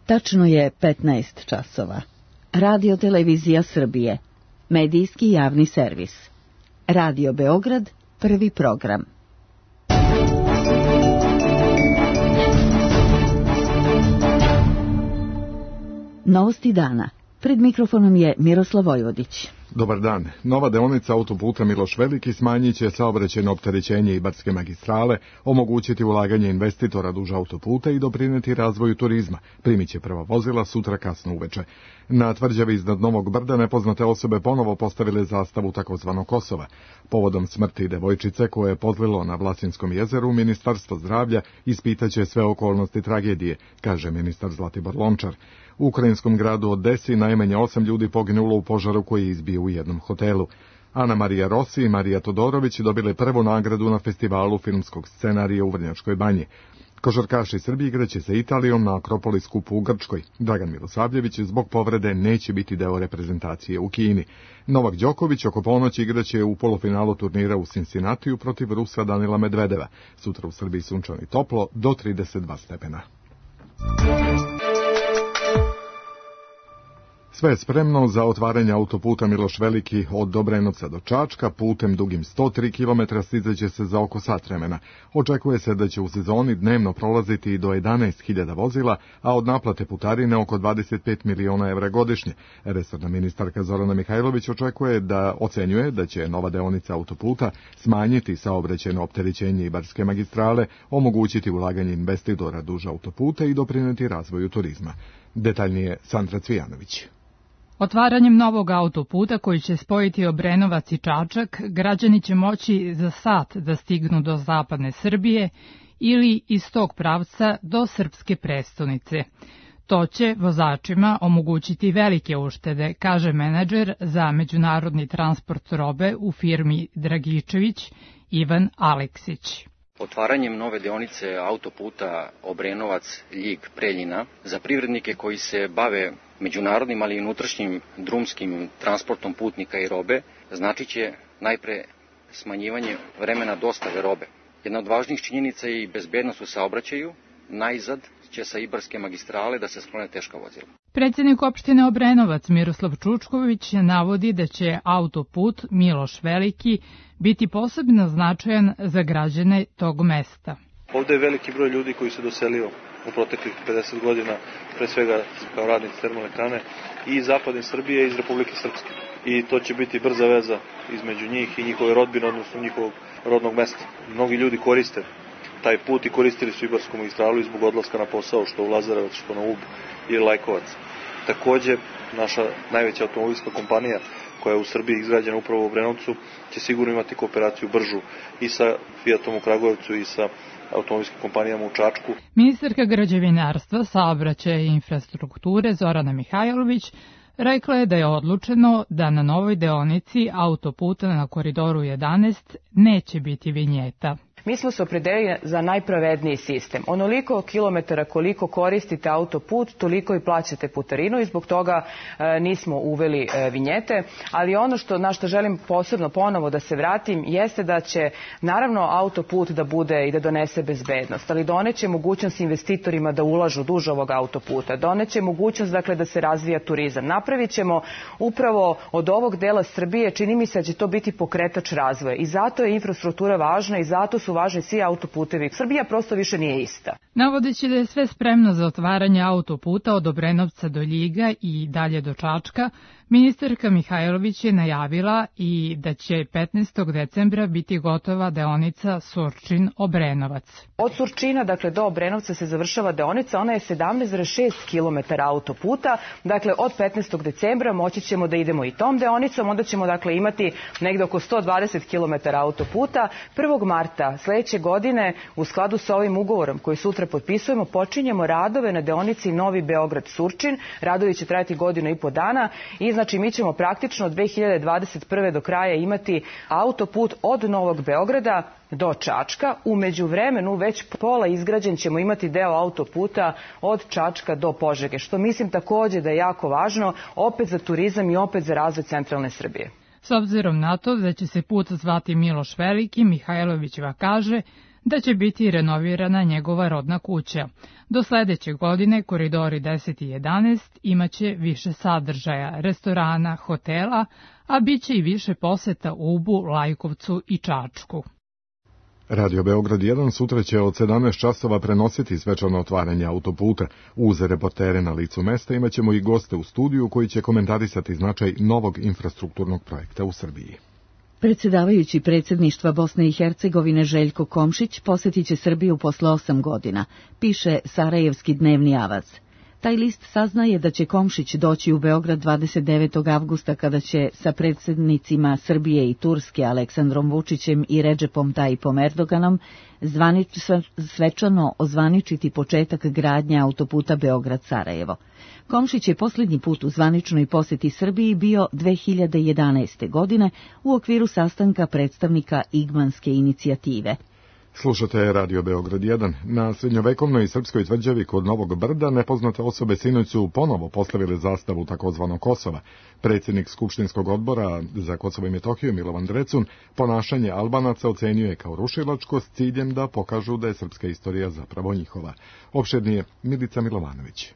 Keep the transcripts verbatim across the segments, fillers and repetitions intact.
Tačno je petnaest časova. Radio Televizija Srbije. Medijski javni servis. Radio Beograd, prvi program. Novosti dana. Pred mikrofonom je Miroslav Vojvodić. Dobar dan. Nova deonica autoputa Miloš Veliki smanjit će saobraćajno opterećenje Ibarske magistrale, omogućiti ulaganje investitora duž autoputa i doprineti razvoju turizma. Primit će prva vozila sutra kasno uveče. Na tvrđavi iznad Novog Brda nepoznate osobe ponovo postavile zastavu takozvanog Kosova. Povodom smrti devojčice koje je pozlilo na Vlasinskom jezeru, Ministarstvo zdravlja ispitaće sve okolnosti tragedije, kaže ministar Zlatibor Lončar. U ukrajinskom gradu Odesi najmanje osam ljudi poginulo u požaru koji je izbio u jednom hotelu. Ana Marija Rossi i Marija Todorović dobile prvu nagradu na festivalu filmskog scenarija u Vrnjačkoj Banji. Košarkaši Srbije igraće sa Italijom na Akropoli skupu u Grčkoj. Dragan Milosavljević zbog povrede neće biti deo reprezentacije u Kini. Novak Đoković oko ponoći igraće u polufinalu turnira u Cincinnatiju protiv Rusa Danila Medvedeva. Sutra u Srbiji sunčano i toplo do trideset dva stepena. Sve je spremno za otvaranje autoputa Miloš Veliki od Dobrenovca do Čačka, putem dugim sto tri kilometra stizaće se za oko sat vremena. Očekuje se da će u sezoni dnevno prolaziti i do jedanaest hiljada vozila, a od naplate putarine oko dvadeset pet miliona evra godišnje. Resorna ministarka Zorana Mihajlović očekuje da ocenjuje da će nova deonica autoputa smanjiti saobraćajno opterećenje Ibarske magistrale, omogućiti ulaganje investitora duž autoputa i doprineti razvoju turizma. Detaljnije Sandra Cvijanović. Otvaranjem novog autoputa koji će spojiti Obrenovac i Čačak, građani će moći za sat da stignu do zapadne Srbije ili iz tog pravca do srpske prestonice. To će vozačima omogućiti velike uštede, kaže menadžer za međunarodni transport robe u firmi Dragičević Ivan Aleksić. Otvaranjem nove deonice autoputa Obrenovac-Ljig-Preljina za privrednike koji se bave međunarodnim, ali i unutrašnjim drumskim transportom putnika i robe, znači će najpre smanjivanje vremena dostave robe. Jedna od važnijih činjenica je i bezbednost u saobraćaju, najzad će sa Ibarske magistrale da se sklone teška vozila. Predsjednik opštine Obrenovac Miroslav Čučković navodi da će autoput Miloš Veliki biti posebno značajan za građane tog mesta. Ovde je veliki broj ljudi koji se doselio u proteklih pedeset godina, pre svega kao radnici termoelektrane, i iz zapadne Srbije i iz Republike Srpske. I to će biti brza veza između njih i njihove rodbine, odnosno njihovog rodnog mesta. Mnogi ljudi koriste taj put i koristili su Ibarsku magistralu i zbog odlaska na posao, što u Lazarevac, što na Ub ili Lajkovac. Takođe, naša najveća automobilska kompanija, koja je u Srbiji izgrađena upravo u Obrenovcu, će sigurno imati kooperaciju bržu i sa Fiatom u Kragujevcu i sa automobilskim kompanijama u Čačku. Ministarka građevinarstva, saobraćaja i infrastrukture Zorana Mihajlović rekla je da je odlučeno da na novoj deonici autoputa na Koridoru jedanaest neće biti vinjeta. Mi smo se opredelili za najpravedniji sistem. Onoliko kilometara koliko koristite autoput, toliko i plaćate putarinu i zbog toga e, nismo uveli e, vinjete. Ali ono što, na što želim posebno ponovo da se vratim jeste da će naravno autoput da bude i da donese bezbednost, ali doneće mogućnost investitorima da ulažu duž ovog autoputa. Doneće mogućnost dakle da se razvija turizam. Napravit ćemo upravo od ovog dela Srbije, čini mi se da će to biti pokretač razvoja. I zato je infrastruktura važna i zato su važni svi autoputevi. Srbija prosto više nije ista. Navodeći da je sve spremno za otvaranje autoputa od Obrenovca do Ljiga i dalje do Čačka, ministarka Mihajlović je najavila i da će petnaestog decembra biti gotova deonica Surčin-Obrenovac. Od Surčina, dakle, do Obrenovca se završava deonica, ona je sedamnaest zarez šest kilometara autoputa, dakle, od petnaestog decembra moći ćemo da idemo i tom deonicom, onda ćemo, dakle, imati negde oko sto dvadeset kilometara autoputa. prvog marta sledeće godine, u skladu sa ovim ugovorom koji sutra potpisujemo, počinjemo radove na deonici Novi Beograd-Surčin. Radovi će trajati godinu i po dana i znači mi ćemo praktično od dve hiljade dvadeset prve do kraja imati autoput od Novog Beograda do Čačka. U međuvremenu već pola izgrađen ćemo imati deo autoputa od Čačka do Požege, što mislim takođe da je jako važno opet za turizam i opet za razvoj centralne Srbije. S obzirom na to da će se put zvati Miloš Veliki, Mihajlovićeva kaže da će biti renovirana njegova rodna kuća. Do sledeće godine koridori deset i jedanaest imaće više sadržaja, restorana, hotela, a bit će i više poseta Ubu, Lajkovcu i Čačku. Radio Beograd jedan sutra će od sedamnaest časova prenositi svečano otvaranje autoputa. Uz reportere na licu mesta imaćemo i goste u studiju koji će komentarisati značaj novog infrastrukturnog projekta u Srbiji. Predsjedavajući predsjedništva Bosne i Hercegovine Željko Komšić posjetit će Srbiju posle osam godina, piše Sarajevski dnevni avaz. Taj list saznaje da će Komšić doći u Beograd dvadeset devetog avgusta kada će sa predsjednicima Srbije i Turske Aleksandrom Vučićem i Redžepom Tajipom Erdoganom zvanič, svečano ozvaničiti početak gradnje autoputa Beograd-Sarajevo. Komšić je posljednji put u zvaničnoj posjeti Srbiji bio dve hiljade jedanaeste. godine u okviru sastanka predstavnika Igmanske inicijative. Slušate Radio Beograd jedan. Na srednjovekovnoj srpskoj tvrđavi kod Novog Brda nepoznate osobe sinoć su ponovo postavile zastavu takozvanog Kosova. Predsjednik Skupštinskog odbora za Kosovo i Metohiju Milovan Drecun ponašanje Albanaca ocenjuje kao rušilačko s ciljem da pokažu da je srpska istorija zapravo njihova. Opširnije Milica Milovanović.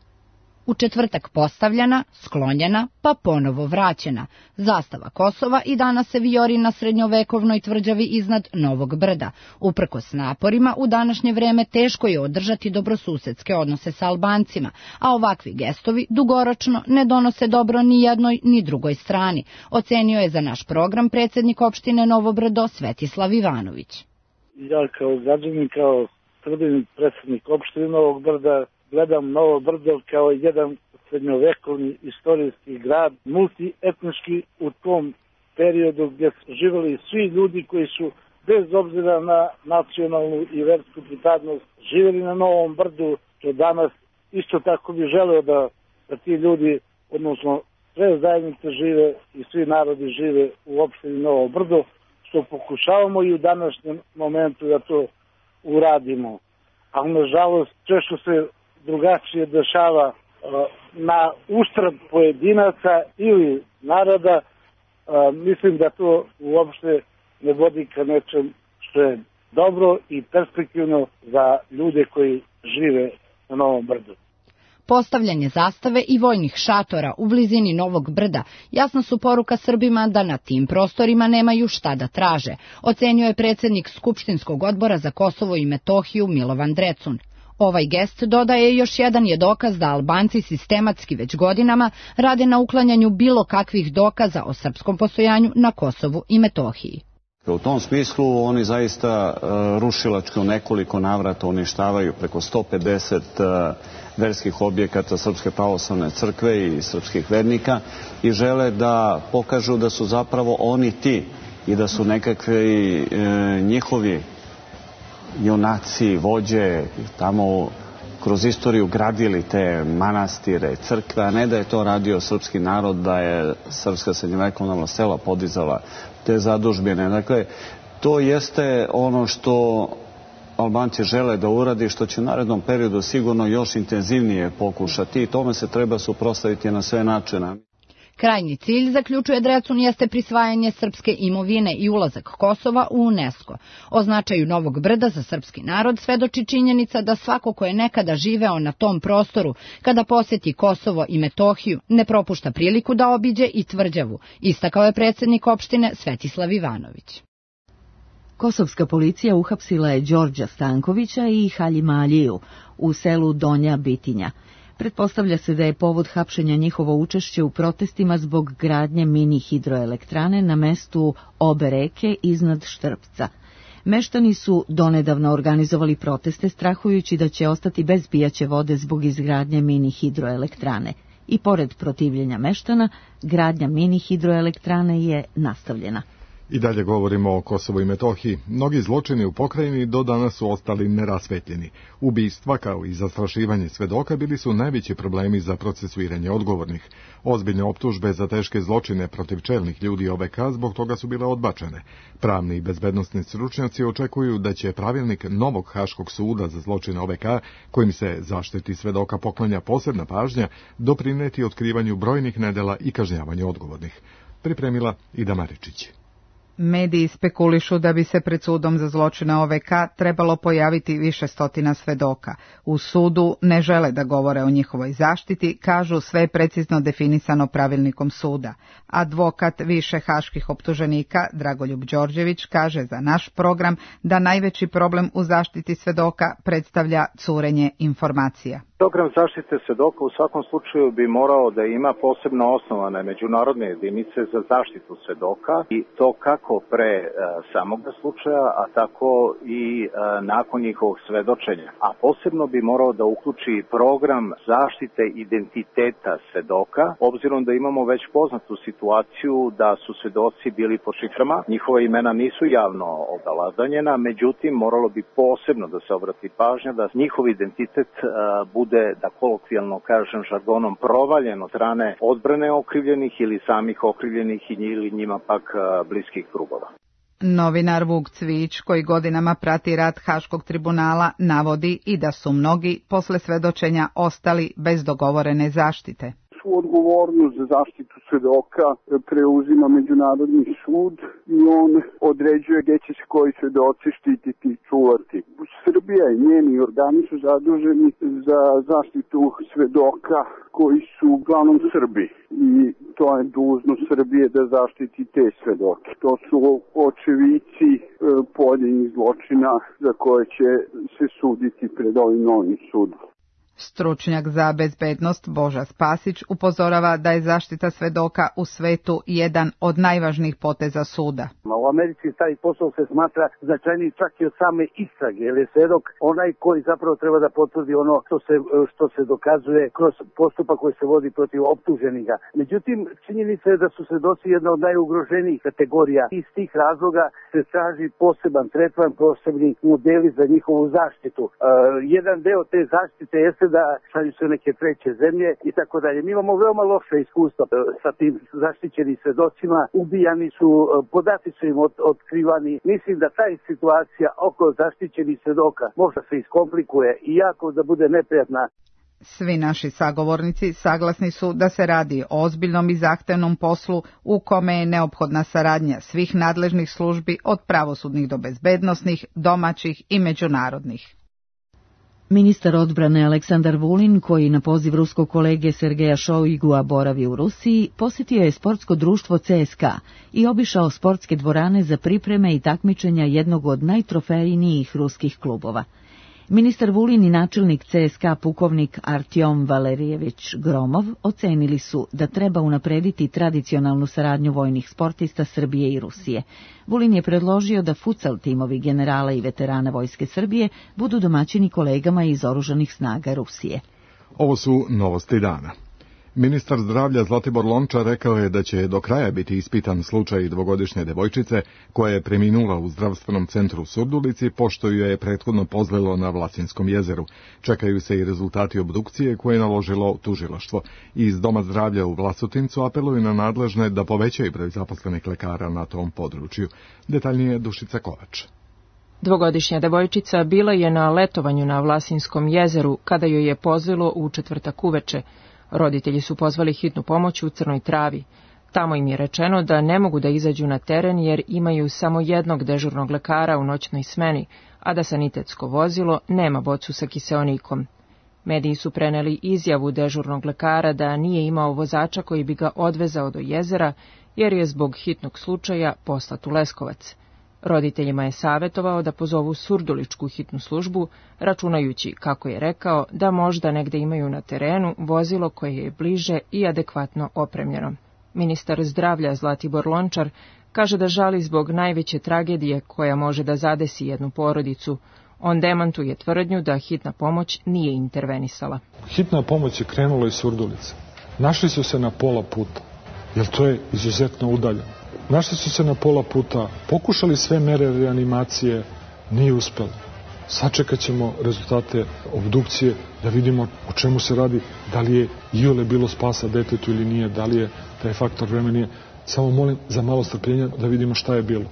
U četvrtak postavljena, sklonjena, pa ponovo vraćena. Zastava Kosova i danas se vijori na srednjovekovnoj tvrđavi iznad Novog Brda. Uprkos naporima, u današnje vreme teško je održati dobrosusedske odnose sa Albancima, a ovakvi gestovi dugoročno ne donose dobro ni jednoj ni drugoj strani, ocenio je za naš program predsjednik opštine Novo Brdo Svetislav Ivanović. Ja kao građanin, kao Srbin, predsjednik opštine Novog Brda, gledam Novo Brdo kao jedan srednjovekovni istorijski grad, multietnički u tom periodu gdje su živjeli svi ljudi koji su bez obzira na nacionalnu i versku pripadnost živjeli na Novom Brdu, što danas isto tako bi želeo da, da ti ljudi, odnosno sve zajednice žive i svi narodi žive u opštini Novo Brdo, što pokušavamo i u današnjem momentu da to uradimo. Ali nažalost često se drugačije dešava uh, na uštrb pojedinaca ili naroda, uh, mislim da to uopšte ne vodi ka nečem što je dobro i perspektivno za ljude koji žive na Novom Brdu. Postavljanje zastave i vojnih šatora u blizini Novog Brda jasna su poruka Srbima da na tim prostorima nemaju šta da traže, ocenio je predsjednik Skupštinskog odbora za Kosovo i Metohiju Milovan Drecun. Ovaj gest, dodaje, još jedan je dokaz da Albanci sistematski već godinama rade na uklanjanju bilo kakvih dokaza o srpskom postojanju na Kosovu i Metohiji. U tom smislu oni zaista uh, rušilački u nekoliko navrata uništavaju preko sto pedeset uh, verskih objekata Srpske pravoslavne crkve i srpskih vernika i žele da pokažu da su zapravo oni ti i da su nekakvi uh, njihovi junaci, vođe, tamo kroz istoriju gradili te manastire, crkve, a ne da je to radio srpski narod, da je srpska srednjovekovna sela podizala te zadužbine. Dakle, to jeste ono što Albanci žele da uradi, što će u narednom periodu sigurno još intenzivnije pokušati i tome se treba suprotstaviti na sve načine. Krajnji cilj, zaključuje Drecun, jeste prisvajanje srpske imovine i ulazak Kosova u UNESCO. O značaju Novog Brda za srpski narod svedoči činjenica da svako ko je nekada živeo na tom prostoru, kada posjeti Kosovo i Metohiju, ne propušta priliku da obiđe i tvrđavu, istakao je predsjednik opštine Svetislav Ivanović. Kosovska policija uhapsila je Đorđa Stankovića i Haljima Aliju u selu Donja Bitinja. Pretpostavlja se da je povod hapšenja njihovo učešće u protestima zbog gradnje mini hidroelektrane na mestu obe reke iznad Štrpca. Meštani su donedavno organizovali proteste strahujući da će ostati bez pijaće vode zbog izgradnje mini hidroelektrane. I pored protivljenja meštana, gradnja mini hidroelektrane je nastavljena. I dalje govorimo o Kosovu i Metohiji. Mnogi zločini u pokrajini do danas su ostali nerasvetljeni. Ubistva kao i zastrašivanje svedoka bili su najveći problemi za procesuiranje odgovornih. Ozbiljne optužbe za teške zločine protiv čelnih ljudi O V K zbog toga su bile odbačene. Pravni i bezbednosni stručnjaci očekuju da će pravilnik novog Haškog suda za zločine O V K, kojim se zaštiti svedoka poklanja posebna pažnja, doprineti otkrivanju brojnih nedela i kažnjavanju odgovornih. Pripremila Ida Maričić. Mediji spekulišu da bi se pred sudom za zločine O V K trebalo pojaviti više stotina svedoka. U sudu ne žele da govore o njihovoj zaštiti, kažu sve je precizno definisano pravilnikom suda. Advokat više haških optuženika Dragoljub Đorđević kaže za naš program da najveći problem u zaštiti svedoka predstavlja curenje informacija. Program zaštite svedoka u svakom slučaju bi morao da ima posebno osnovane međunarodne jedinice za zaštitu svedoka i to kako pre e, samog slučaja, a tako i e, nakon njihovog svedočenja. A posebno bi morao da uključi program zaštite identiteta svedoka, obzirom da imamo već poznatu situaciju da su svedoci bili pod šiframa, njihova imena nisu javno obeladanjena, međutim moralo bi posebno da se obrati pažnja da njihov identitet e, bude da kolokvijalno kažem žargonom provaljen od strane odbrane okrivljenih ili samih okrivljenih ili njima pak bliskih krugova. Novinar Vuk Cvić, koji godinama prati rad Haškog tribunala, navodi i da su mnogi posle svedočenja ostali bez dogovorene zaštite. Svu odgovornost za zaštitu svedoka preuzima Međunarodni sud i on određuje gdje će se koji svedoci štititi i čuvati. Srbija i njeni organi su zaduženi za zaštitu svedoka koji su uglavnom Srbi i to je dužnost Srbije da zaštiti te svedoke. To su očevici pojedinih zločina za koje će se suditi pred ovim novim sudom. Stručnjak za bezbednost Boža Spasić upozorava da je zaštita svedoka u svetu jedan od najvažnijih poteza suda. U Americi taj posao se smatra značajniji čak i od same istrage, jer je svedok onaj koji zapravo treba da potvrdi ono što se, što se dokazuje kroz postupak koji se vodi protiv optuženika. Međutim, činjenica je da su svedoci jedna od najugroženijih kategorija. Iz tih razloga se traži poseban tretman, posebni modeli za njihovu zaštitu. E, jedan deo te zaštite jeste da šalju se neke treće zemlje i tako dalje. Mi imamo veoma loše iskustva sa tim zaštićenim svedocima, ubijani su, podaci su im od, otkrivani. Mislim da ta situacija oko zaštićenih svedoka možda se iskomplikuje i jako da bude neprijatna. Svi naši sagovornici saglasni su da se radi o ozbiljnom i zahtevnom poslu u kome je neophodna saradnja svih nadležnih službi od pravosudnih do bezbednosnih, domaćih i međunarodnih. Ministar odbrane Aleksandar Vulin, koji na poziv ruskog kolege Sergeja Šoigua boravi u Rusiji, posjetio je sportsko društvo C S K A i obišao sportske dvorane za pripreme i takmičenja jednog od najtrofejnijih ruskih klubova. Ministar Vulin i načelnik C S K A pukovnik Artjom Valerijević Gromov ocenili su da treba unaprediti tradicionalnu saradnju vojnih sportista Srbije i Rusije. Vulin je predložio da futsal timovi generala i veterana Vojske Srbije budu domaćini kolegama iz oružanih snaga Rusije. Ovo su novosti dana. Ministar zdravlja Zlatibor Lončar rekao je da će do kraja biti ispitan slučaj dvogodišnje devojčice koja je preminula u zdravstvenom centru u Surdulici pošto ju je prethodno pozlilo na Vlasinskom jezeru. Čekaju se i rezultati obdukcije koje je naložilo tužilaštvo. Iz Doma zdravlja u Vlasotincu apeluju na nadležne da povećaju broj zaposlenih lekara na tom području. Detaljnije Dušica Kovač. Dvogodišnja devojčica bila je na letovanju na Vlasinskom jezeru kada joj je pozlilo u četvrtak uveče. Roditelji su pozvali hitnu pomoć u Crnoj Travi. Tamo im je rečeno da ne mogu da izađu na teren jer imaju samo jednog dežurnog lekara u noćnoj smeni, a da sanitetsko vozilo nema bocu sa kiseonikom. Mediji su preneli izjavu dežurnog lekara da nije imao vozača koji bi ga odvezao do jezera jer je zbog hitnog slučaja poslat u Leskovac. Roditeljima je savjetovao da pozovu surduličku hitnu službu, računajući, kako je rekao, da možda negde imaju na terenu vozilo koje je bliže i adekvatno opremljeno. Ministar zdravlja Zlatibor Lončar kaže da žali zbog najveće tragedije koja može da zadesi jednu porodicu. On demantuje tvrdnju da hitna pomoć nije intervenisala. Hitna pomoć je krenula iz Surdulice. Našli su se na pola puta, jer to je izuzetno udaljeno. Našli su se na pola puta, pokušali sve mere reanimacije, nije uspelo. Sačekat ćemo rezultate obdukcije da vidimo o čemu se radi, da li je iole bilo spasa detetu ili nije, da li je taj faktor vremena. Samo molim za malo strpljenja da vidimo šta je bilo.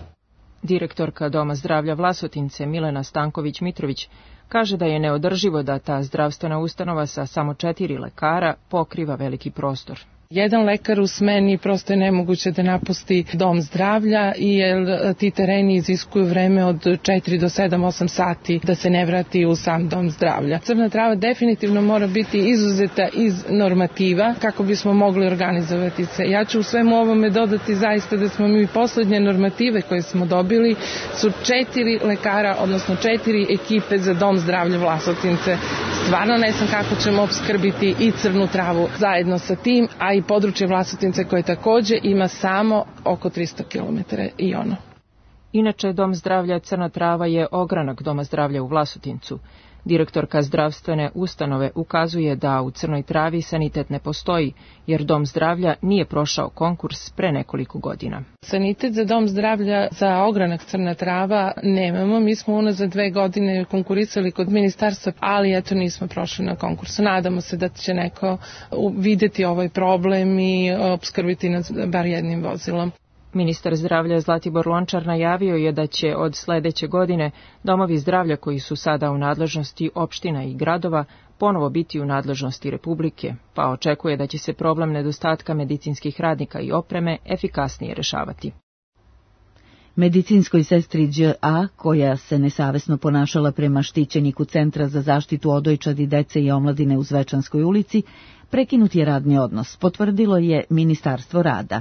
Direktorka Doma zdravlja Vlasotince Milena Stanković-Mitrović kaže da je neodrživo da ta zdravstvena ustanova sa samo četiri lekara pokriva veliki prostor. Jedan lekar u smeni prosto je nemoguće da napusti dom zdravlja jer ti tereni iziskuju vreme od četiri do sedam osam sati da se ne vrati u sam dom zdravlja. Crna trava definitivno mora biti izuzeta iz normativa kako bismo mogli organizovati se. Ja ću u svemu ovome dodati zaista da smo mi poslednje normative koje smo dobili su četiri lekara, odnosno četiri ekipe za dom zdravlja Vlasotince. Stvarno ne znam kako ćemo opskrbiti i crnu travu zajedno sa tim, a i područje Vlasotince koje takođe ima samo oko tristo kilometara i ono. Inače, dom zdravlja Crna trava je ogranak doma zdravlja u Vlasotincu. Direktorka zdravstvene ustanove ukazuje da u Crnoj travi sanitet ne postoji, jer dom zdravlja nije prošao konkurs pre nekoliko godina. Sanitet za dom zdravlja za ogranak Crna trava nemamo. Mi smo unazad dve godine konkurisali kod ministarstva, ali eto nismo prošli na konkursu. Nadamo se da će neko videti ovaj problem i opskrbiti nas bar jednim vozilom. Ministar zdravlja Zlatibor Lončar najavio je da će od sledeće godine domovi zdravlja koji su sada u nadležnosti opština i gradova ponovo biti u nadležnosti Republike, pa očekuje da će se problem nedostatka medicinskih radnika i opreme efikasnije rešavati. Medicinskoj sestri Đ A, koja se nesavesno ponašala prema štićeniku Centra za zaštitu odojčadi, dece i omladine u Zvečanskoj ulici, prekinut je radni odnos, potvrdilo je Ministarstvo rada.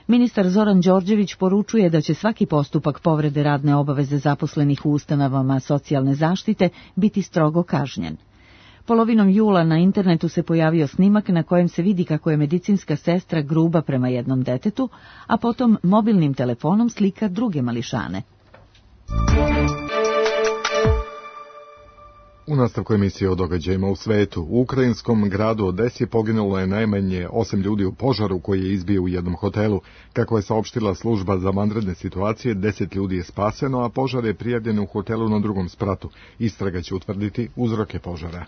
Ministar Zoran Đorđević poručuje da će svaki postupak povrede radne obaveze zaposlenih u ustanovama socijalne zaštite biti strogo kažnjen. Polovinom jula na internetu se pojavio snimak na kojem se vidi kako je medicinska sestra gruba prema jednom detetu, a potom mobilnim telefonom slika druge mališane. U nastavku emisije o događajima u svetu, u ukrajinskom gradu Odesi poginulo je najmanje osam ljudi u požaru koji je izbio u jednom hotelu. Kako je saopštila služba za vanredne situacije, deset ljudi je spaseno, a požar je prijavljen u hotelu na drugom spratu. Istraga će utvrditi uzroke požara.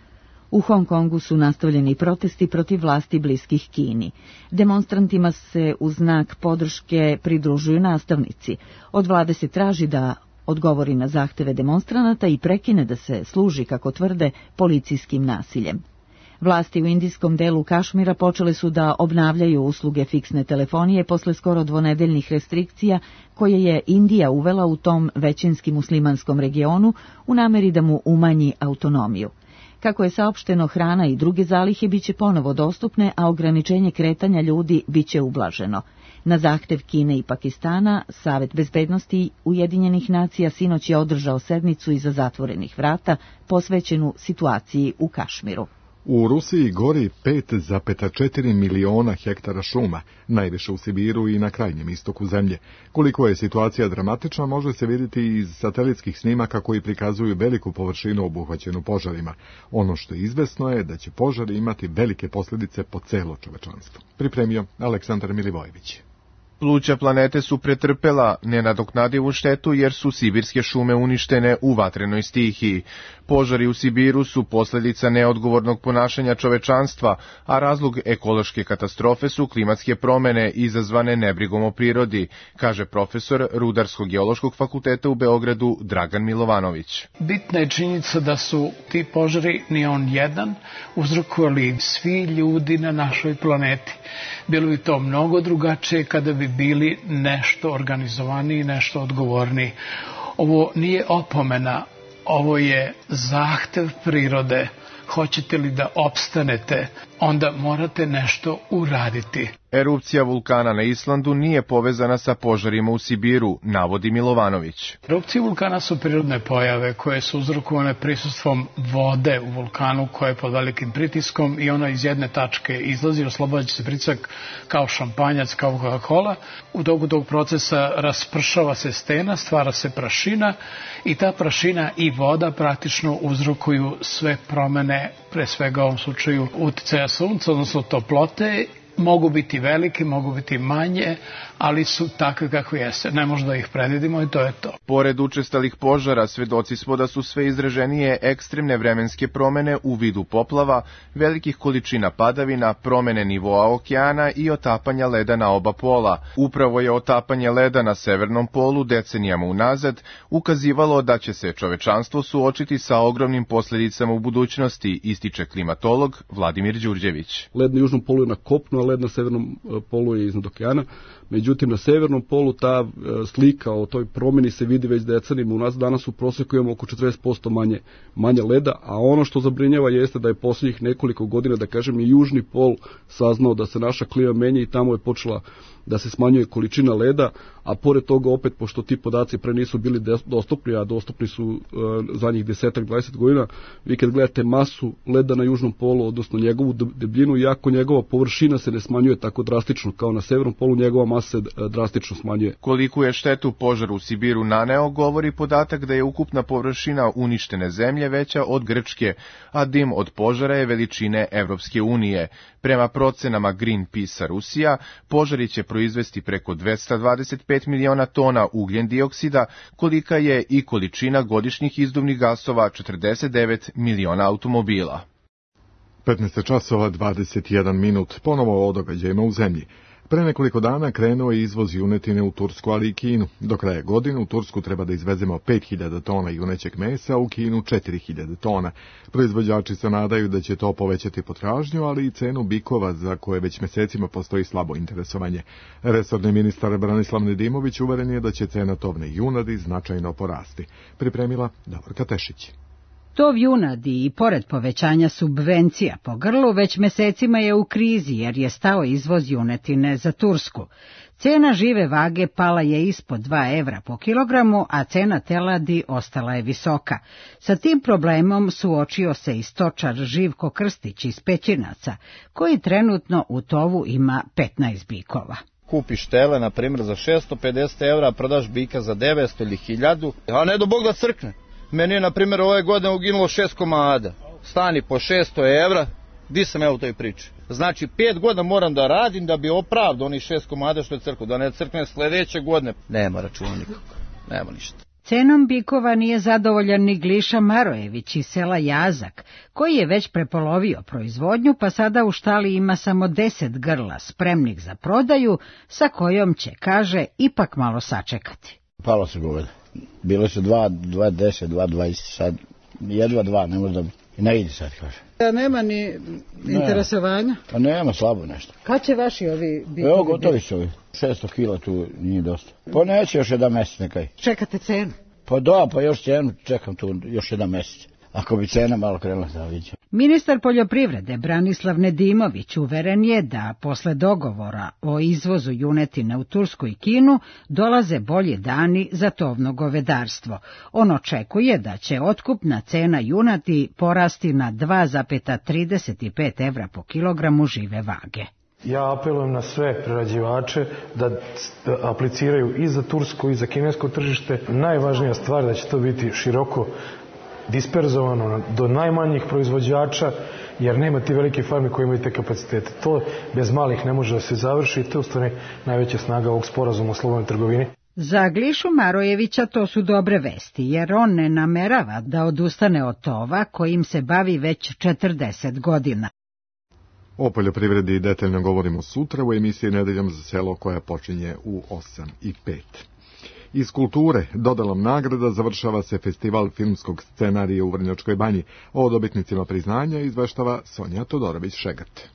U Hong Kongu su nastavljeni protesti protiv vlasti bliskih Kini. Demonstrantima se u znak podrške pridružuju nastavnici. Od vlade se traži da odgovori na zahteve demonstranata i prekine da se služi, kako tvrde, policijskim nasiljem. Vlasti u indijskom delu Kašmira počele su da obnavljaju usluge fiksne telefonije posle skoro dvonedeljnih restrikcija koje je Indija uvela u tom većinski muslimanskom regionu u nameri da mu umanji autonomiju. Kako je saopšteno, hrana i druge zalihe biće ponovo dostupne, a ograničenje kretanja ljudi biće ublaženo. Na zahtev Kine i Pakistana, Savet bezbednosti Ujedinjenih nacija sinoć je održao sednicu iza zatvorenih vrata posvećenu situaciji u Kašmiru. U Rusiji gori pet zarez četiri miliona hektara šuma, najviše u Sibiru i na krajnjem istoku zemlje. Koliko je situacija dramatična može se vidjeti iz satelitskih snimaka koji prikazuju veliku površinu obuhvaćenu požarima. Ono što je izvesno je da će požari imati velike posljedice po celo čovečanstvo. Pripremio Aleksandar Milivojević. Pluća planete su pretrpela nenadoknadivu štetu jer su sibirske šume uništene u vatrenoj stihiji. Požari u Sibiru su posljedica neodgovornog ponašanja čovečanstva, a razlog ekološke katastrofe su klimatske promene izazvane nebrigom o prirodi, kaže profesor Rudarsko-geološkog fakulteta u Beogradu Dragan Milovanović. Bitna je činjenica da su ti požari, ni on jedan, uzrokovali svi ljudi na našoj planeti. Bilo bi to mnogo drugačije kada bi bili nešto organizovaniji, nešto odgovorniji. Ovo nije opomena, ovo je zahtev prirode. Hoćete li da opstanete, onda morate nešto uraditi. Erupcija vulkana na Islandu nije povezana sa požarima u Sibiru, navodi Milovanović. Erupcije vulkana su prirodne pojave koje su uzrokovane prisustvom vode u vulkanu koja je pod velikim pritiskom i ona iz jedne tačke izlazi, oslobađa se pritisak kao šampanjac, kao Coca-Cola. U toku tog procesa raspršava se stena, stvara se prašina i ta prašina i voda praktično uzrokuju sve promene, pre svega u ovom slučaju uticaja sunca, odnosno toplote. Mogu biti velike, mogu biti manje, ali su takve kakve jeste. Ne možemo da ih predvidimo i to je to. Pored učestalih požara, svedoci smo da su sve izraženije ekstremne vremenske promene u vidu poplava, velikih količina padavina, promene nivoa okeana i otapanja leda na oba pola. Upravo je otapanje leda na severnom polu decenijama unazad ukazivalo da će se čovečanstvo suočiti sa ogromnim posljedicama u budućnosti, ističe klimatolog Vladimir Đurđević. Led na južnom polu je na kopnu, led na severnom polu je iznad okeana. Međutim, na severnom polu ta slika o toj promjeni se vidi već decenijima. U nas danas u prosjeku imamo oko četrdeset posto manje, manje leda, a ono što zabrinjava jeste da je posljednjih nekoliko godina, da kažem, i južni pol saznao da se naša klima menja i tamo je počela da se smanjuje količina leda, a pored toga opet, pošto ti podaci pre nisu bili dostupni, a dostupni su uh, zadnjih desetak dvadeset godina, vi kad gledate masu leda na južnom polu, odnosno njegovu debljinu, iako njegova površina se ne smanjuje tako drastično kao na severnom polu, njegova masa se drastično smanjuje. Koliko je štetu požar u Sibiru naneo, govori podatak da je ukupna površina uništene zemlje veća od Grčke, a dim od požara je veličine Evropske unije. Prema procenama Greenpeace-a Rusija, požari će proizvesti preko dvesta dvadeset pet miliona tona ugljen dioksida, kolika je i količina godišnjih izduvnih gasova četrdeset devet miliona automobila. petnaest časova dvadeset jedan minut, ponovo o događajima u zemlji. Pre nekoliko dana krenuo je izvoz junetine u Tursku, ali i Kinu. Do kraja godine u Tursku treba da izvezemo pet hiljada tona junećeg mesa, a u Kinu četiri hiljade tona. Proizvođači se nadaju da će to povećati potražnju, ali i cenu bikova za koje već mesecima postoji slabo interesovanje. Resorni ministar Branislav Nedimović uveren je da će cena tovne junadi značajno porasti. Pripremila Davorka Tešić. Tov junadi i pored povećanja subvencija po grlu već mesecima je u krizi jer je stao izvoz junetine za Tursku. Cena žive vage pala je ispod dva evra po kilogramu, a cena teladi ostala je visoka. Sa tim problemom suočio se i stočar Živko Krstić iz Pećinaca, koji trenutno u tovu ima petnaest bikova. Kupiš tele, na primjer, za šesto pedeset evra, prodaš bika za devetsto ili hiljadu, a ne do Bog da crkne. Meni je, na primjer, ove godine uginulo šest komada. Stani po šesto evra, di sam ja u toj priči? Znači, pet godina moram da radim da bi opravdao onih šest komada što je crklo. Da ne crkne sljedeće godine. Nema računa nikako, nema ništa. Cenom bikova nije zadovoljan ni Gliša Marojević iz sela Jazak, koji je već prepolovio proizvodnju, pa sada u štali ima samo deset grla spremnih za prodaju, sa kojom će, kaže, ipak malo sačekati. Palo se goveda. Bilo su dva, dva deset, dva dvadeset, sad jedva dva, ne možda i ne ide sad, kaže. Ja, nema ni interesovanja? Pa nema, slabo nešto. Kad će vaši ovi bikovi? Evo, gotovi su ovi. šesto kila tu nije dosta. Pa neće još jedan mjesec nekaj. Čekate cenu? Pa da, pa još cenu čekam tu još jedan mjesec. Ako bi cena malo krenula, da vidimo. Ministar poljoprivrede Branislav Nedimović uveren je da posle dogovora o izvozu junetine u Tursku i Kinu dolaze bolji dani za tovno govedarstvo. On očekuje da će otkupna cena junati porasti na dva zarez trideset pet evra po kilogramu žive vage. Ja apelujem na sve prerađivače da apliciraju i za tursko i za kinesko tržište. Najvažnija stvar da će to biti široko disperzovano do najmanjih proizvođača, jer nema ti velike farme koje imaju te kapacitete. To bez malih ne može da se završi i to je u stvari najveća snaga ovog sporazuma o slobodnoj trgovini. Za Glišu Marojevića to su dobre vesti, jer on ne namerava da odustane od tova kojim se bavi već četrdeset godina. O poljoprivredi detaljno govorimo sutra u emisiji Nedeljom za selo koja počinje u osam i pet. Iz kulture dodalom nagrada završava se festival filmskog scenarija u Vrnjačkoj Banji. O dobitnicima priznanja izveštava Sonja Todorović-Šegrt.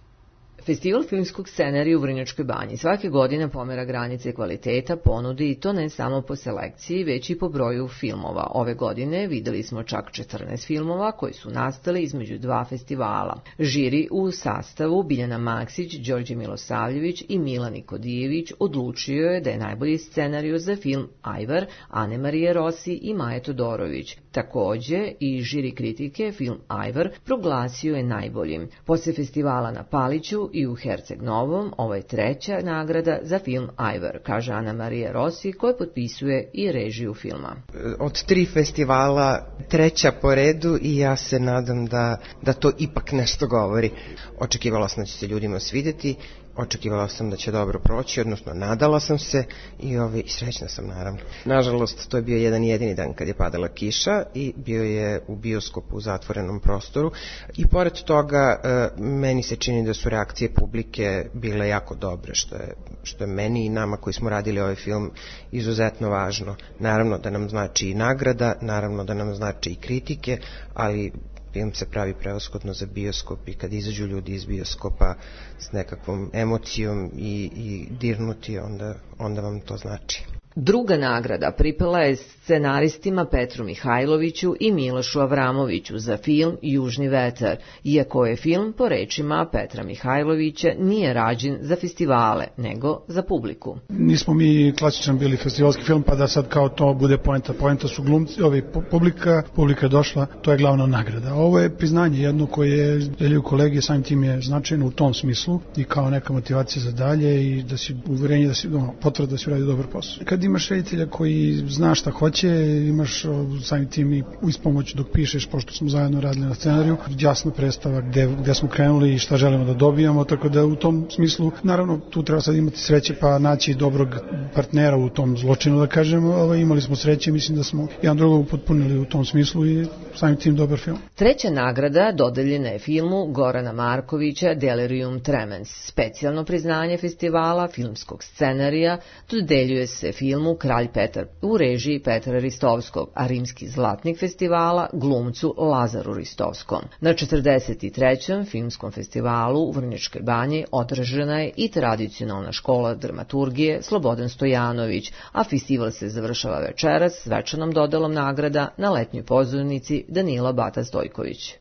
Festival filmskog scenarija u Vrnjačkoj Banji svake godine pomera granice kvaliteta ponudi i to ne samo po selekciji, već i po broju filmova. Ove godine videli smo čak četrnaest filmova koji su nastali između dva festivala. Žiri u sastavu Biljana Maksić, Đorđe Milosavljević i Milan Nikodijević odlučio je da je najbolji scenarij za film Ajvar Ane Marije Rossi i Maje Todorović. Takođe i žiri kritike film Ajvar proglasio je najboljim. Posle festivala na Paliću i u Herceg Novom, ovo je treća nagrada za film Ajvar, kaže Ana Marija Rossi, koja potpisuje i režiju filma. Od tri festivala treća po redu i ja se nadam da, da to ipak nešto govori. Očekivala sam da će se ljudima svidjeti, očekivala sam da će dobro proći, odnosno nadala sam se i ovaj, srećna sam naravno. Nažalost, to je bio jedan jedini dan kad je padala kiša i bio je u bioskopu u zatvorenom prostoru i pored toga meni se čini da su reakcije publike bile jako dobre, što je, što je meni i nama koji smo radili ovaj film izuzetno važno. Naravno da nam znači i nagrada, naravno da nam znači i kritike, ali Film se pravi prevashodno za bioskop i kad izađu ljudi iz bioskopa s nekakvom emocijom i, i dirnuti, onda, onda vam to znači. Druga nagrada pripala je scenaristima Petru Mihajloviću i Milošu Avramoviću za film Južni vetar, iako je film, po rečima Petra Mihajlovića, nije rađen za festivale, nego za publiku. Nismo mi klasičan bili festivalski film, pa da sad kao to bude poenta. Poenta su glumci, ovi publika, publika je došla, to je glavna nagrada. Ovo je priznanje jedno koje deljuju kolege, samim tim je značajno u tom smislu i kao neka motivacija za dalje i da si uverenje, da si, no, potvrda da si uradio dobar posao. Kad imaš reditelja koji zna šta hoće, imaš samim tim i ispomoć dok pišeš, pošto smo zajedno radili na scenariju, jasno predstava gde, gde smo krenuli i šta želimo da dobijamo, tako da u tom smislu, naravno, tu treba sad imati sreće pa naći dobrog partnera u tom zločinu, da kažem, ovaj, imali smo sreće, mislim da smo jedan drugog upotpunili u tom smislu i samim tim dobar film. Treća nagrada dodeljena je filmu Gorana Markovića Delirium Tremens. Specijalno priznanje festivala filmskog scenarija dodeljuje se filmu Kralj Petar u režiji Petra Ristovskog, a rimski zlatnik festivala glumcu Lazaru Ristovskom. Na četrdeset trećem filmskom festivalu u Vrnjačkoj Banji održana je i tradicionalna škola dramaturgije Slobodan Stojanović, a festival se završava večeras svečanom dodelom nagrada na letnjoj pozornici Danila Bata Stojković.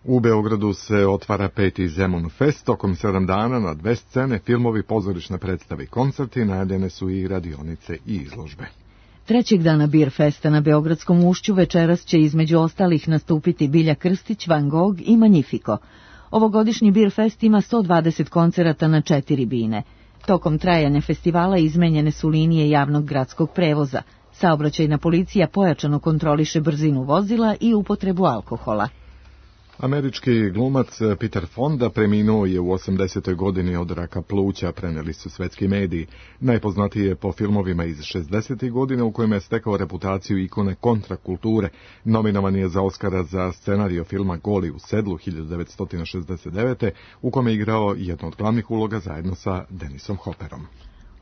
U Beogradu se otvara peti Zemun Fest, tokom sedam dana na dve scene, filmovi, pozorišne predstave i koncerti, najavljene su i radionice i izložbe. Trećeg dana Bir Festa na Beogradskom ušću večeras će između ostalih nastupiti Bilja Krstić, Van Gogh i Magnifico. Ovogodišnji Bir Fest ima sto dvadeset koncerata na četiri bine. Tokom trajanja festivala izmenjene su linije javnog gradskog prevoza. Saobraćajna policija pojačano kontroliše brzinu vozila i upotrebu alkohola. Američki glumac Peter Fonda preminuo je u osamdesetoj godini od raka pluća, preneli su svetski mediji. Najpoznatiji je po filmovima iz šezdesetih godina u kojima je stekao reputaciju ikone kontrakulture. Nominovan je za Oskara za scenario filma Goli u sedlu hiljadu devetsto šezdeset devete. u kome je igrao jednu od glavnih uloga zajedno sa Denisom Hopperom.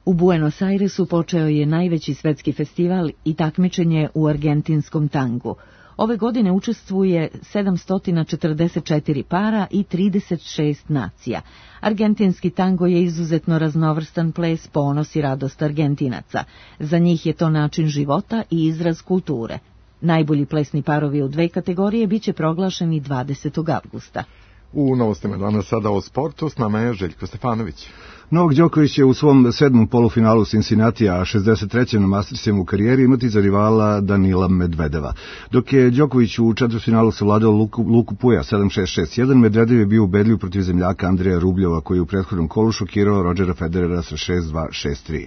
U Buenos Airesu počeo je najveći svetski festival i takmičenje u argentinskom tangu. Ove godine učestvuje sedamsto četrdeset četiri para i trideset šest nacija. Argentinski tango je izuzetno raznovrstan ples, ponos i radost Argentinaca. Za njih je to način života i izraz kulture. Najbolji plesni parovi u dve kategorije biće proglašeni dvadesetog avgusta. U novostima danas sada o sportu, s nama je Željko Stefanović. Novak Đoković je u svom sedmom polufinalu Cincinnatija, a šezdeset trećem na Mastersima u karijeri imati za rivala Danila Medvedeva. Dok je Đoković u četvrtfinalu savladao Luku, Luku Puja sedam šest šest jedan, Medvedev je bio ubedljiv protiv zemljaka Andreja Rubljova, koji je u prethodnom kolu šokirao Rodgera Federera sa šest dva šest tri.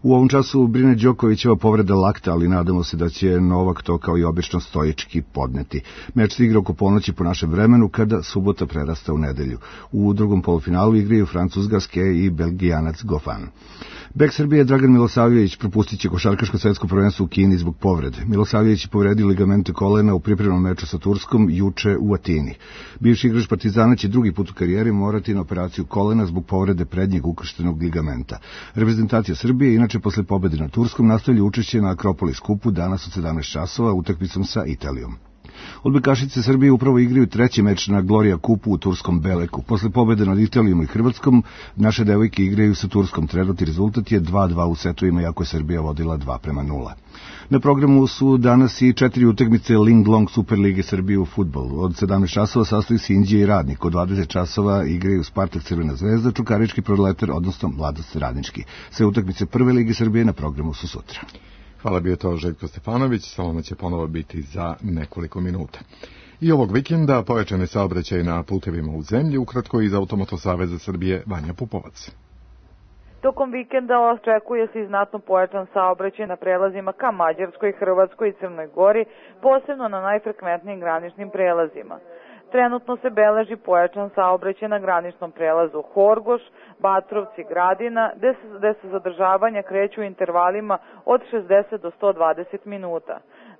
U ovom času brine Đokovićeva povreda lakta, ali nadamo se da će Novak to kao i obično stoički podneti. Meč se igra oko ponoći po našem vremenu, kada subota prerasta u nedelju. U drugom polufinalu igraju Francuz-Gaske i Belgijanac Gofan. Bek Srbije Dragan Milosavljević propustit će košarkaško svetsko prvenstvo u Kini zbog povrede. Milosavljević je povredio ligamente kolena u pripremnom meču sa Turskom juče u Atini. Bivši igrač Partizana će drugi put u karijeri morati na operaciju kolena zbog povrede prednjeg ukrštenog ligamenta. Reprezentacija Srbije inače posle pobede na Turskom nastavlja učešće na Akropolis kupu danas od sedamnaest časova utakmicom sa Italijom. Odbojkašice Srbije upravo igraju treći meč na Gloria kupu u turskom Beleku. Posle pobede nad Italijom i Hrvatskom, naše devojke igraju sa Turskom. Trenutni rezultat je dva dva u setovima, iako je Srbija vodila dva prema nula. Na programu su danas i četiri utakmice Ling Long Superlige Srbije u fudbalu. Od sedamnaest časova sastoji se Inđija i Radnik. Od dvadeset časova igraju Spartak Crvena zvezda, Čukarički Proletar, odnosno Mladost Radnički. Sve utakmice Prve lige Srbije na programu su sutra. Hvala, bio to Željko Stefanović, Salona će ponovo biti za nekoliko minuta. I ovog vikenda pojačane saobraćaj na putevima u zemlji, ukratko iz Automoto Saveza Srbije Vanja Pupovac. Tokom vikenda očekuje se i znatno pojačan saobraćaj na prelazima ka Mađarskoj, Hrvatskoj i Crnoj Gori, posebno na najfrekventnijim graničnim prelazima. Trenutno se beleži pojačan saobraćaj na graničnom prelazu Horgoš, Batrovci, Gradina, gde se, gde se zadržavanja kreću u intervalima od šezdeset do sto dvadeset minuta.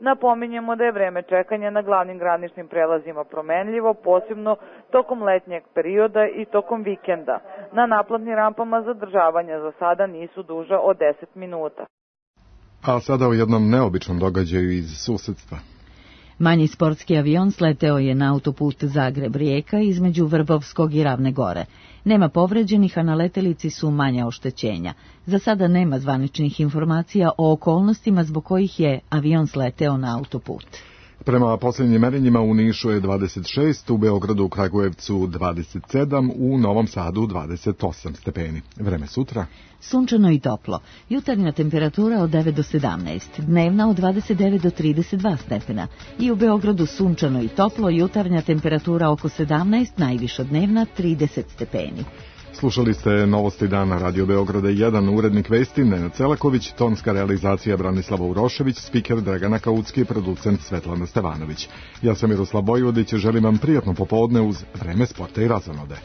Napominjemo da je vreme čekanja na glavnim graničnim prelazima promenljivo, posebno tokom letnjeg perioda i tokom vikenda. Na naplatnim rampama zadržavanja za sada nisu duža od deset minuta. A sada o jednom neobičnom događaju iz susedstva. Manji sportski avion sleteo je na autoput Zagreb-Rijeka između Vrbovskog i Ravne Gore. Nema povređenih, a na letelici su manja oštećenja. Za sada nema zvaničnih informacija o okolnostima zbog kojih je avion sleteo na autoput. Prema posljednjim merenjima u Nišu je dvadeset šest, u Beogradu, u Kragujevcu dvadeset sedam, u Novom Sadu dvadeset osam stepeni. Vreme sutra? Sunčano i toplo. Jutarnja temperatura od devet do sedamnaest, dnevna od dvadeset devet do trideset dva stepena. I u Beogradu sunčano i toplo, jutarnja temperatura oko sedamnaest, najviša dnevna trideset stepeni. Slušali ste Novosti dana Radio Beograda jedan, urednik vesti Nenad Celaković, tonska realizacija Branislava Urošević, spiker Dragana Kaucki, producent Svetlana Stevanović. Ja sam Miroslav Bojvodić, želim vam prijatno popodne uz Vreme sporta i razonode.